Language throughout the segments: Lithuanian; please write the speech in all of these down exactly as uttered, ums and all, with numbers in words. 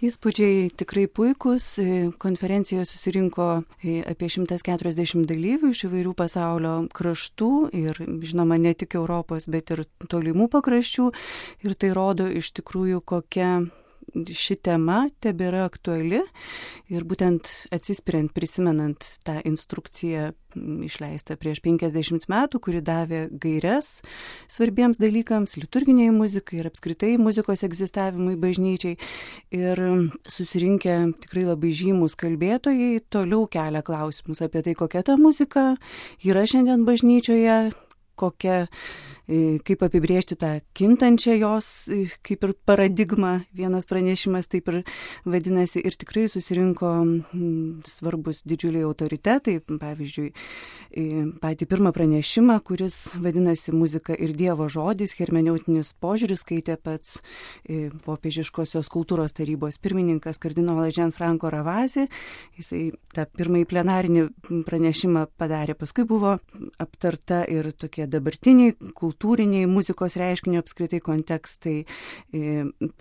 Įspūdžiai tikrai puikūs. Konferencijoje susirinko apie šimtas keturiasdešimt dalyvių iš įvairių pasaulio kraštų ir, žinoma, ne tik Europos, bet ir tolimų pakraščių. Ir tai rodo iš tikrųjų, kokia ši tema tebėra aktuali. Ir būtent atsispiriant, prisimenant tą instrukciją išleistą prieš penkiasdešimt metų, kuri davė gaires svarbiems dalykams, liturginiai muzikai ir apskritai muzikos egzistavimui bažnyčiai. Ir susirinkę tikrai labai žymus kalbėtojai toliau kelia klausimus apie tai, kokia ta muzika yra šiandien bažnyčioje, kokia, kaip apibrėžti tą kintančią jos, kaip ir paradigmą, vienas pranešimas taip ir vadinasi, ir tikrai susirinko svarbus didžiuliai autoritetai, pavyzdžiui, patį pirmą pranešimą, kuris vadinasi Muzika ir Dievo žodis, hermeneutinis požiūris, skaitė pats popiežiškosios kultūros tarybos pirmininkas kardinolas Gianfranco Ravasi. Jisai tą pirmąjį plenarinį pranešimą padarė, paskui buvo aptarta ir tokie dabartiniai kultūriniai muzikos reiškinio apskritai kontekstai.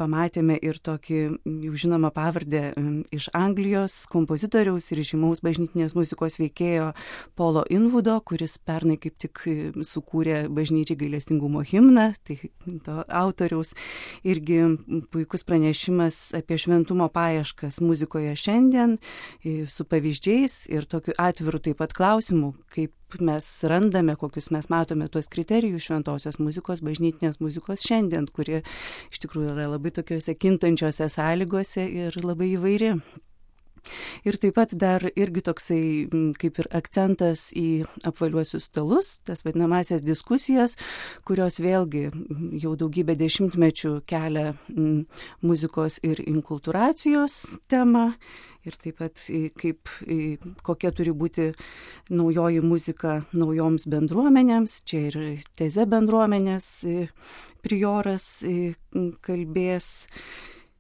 Pamatėme ir tokį jau žinomą pavardę iš Anglijos kompozitoriaus ir žymaus bažnytinės muzikos veikėjo Polo Invudo, kuris pernai kaip tik sukūrė bažnyčiai gailestingumo himną, tai to autoriaus irgi puikus pranešimas apie šventumo paieškas muzikoje šiandien su pavyzdžiais ir tokiu atviru taip pat klausimu, kaip mes randame, kokius mes matome tuos kriterijus šventosios muzikos, bažnytinės muzikos šiandien, kuri iš tikrųjų yra labai tokiuose kintančiose sąlygose ir labai įvairi. Ir taip pat dar irgi toksai kaip ir akcentas į apvaliuosius stalus, tas vadinamasias diskusijas, kurios vėlgi jau daugybę dešimtmečių kelia muzikos ir inkultūracijos temą. Ir taip pat kaip, kokia turi būti naujoji muzika naujoms bendruomenėms. Čia ir Teze bendruomenės prioras kalbės.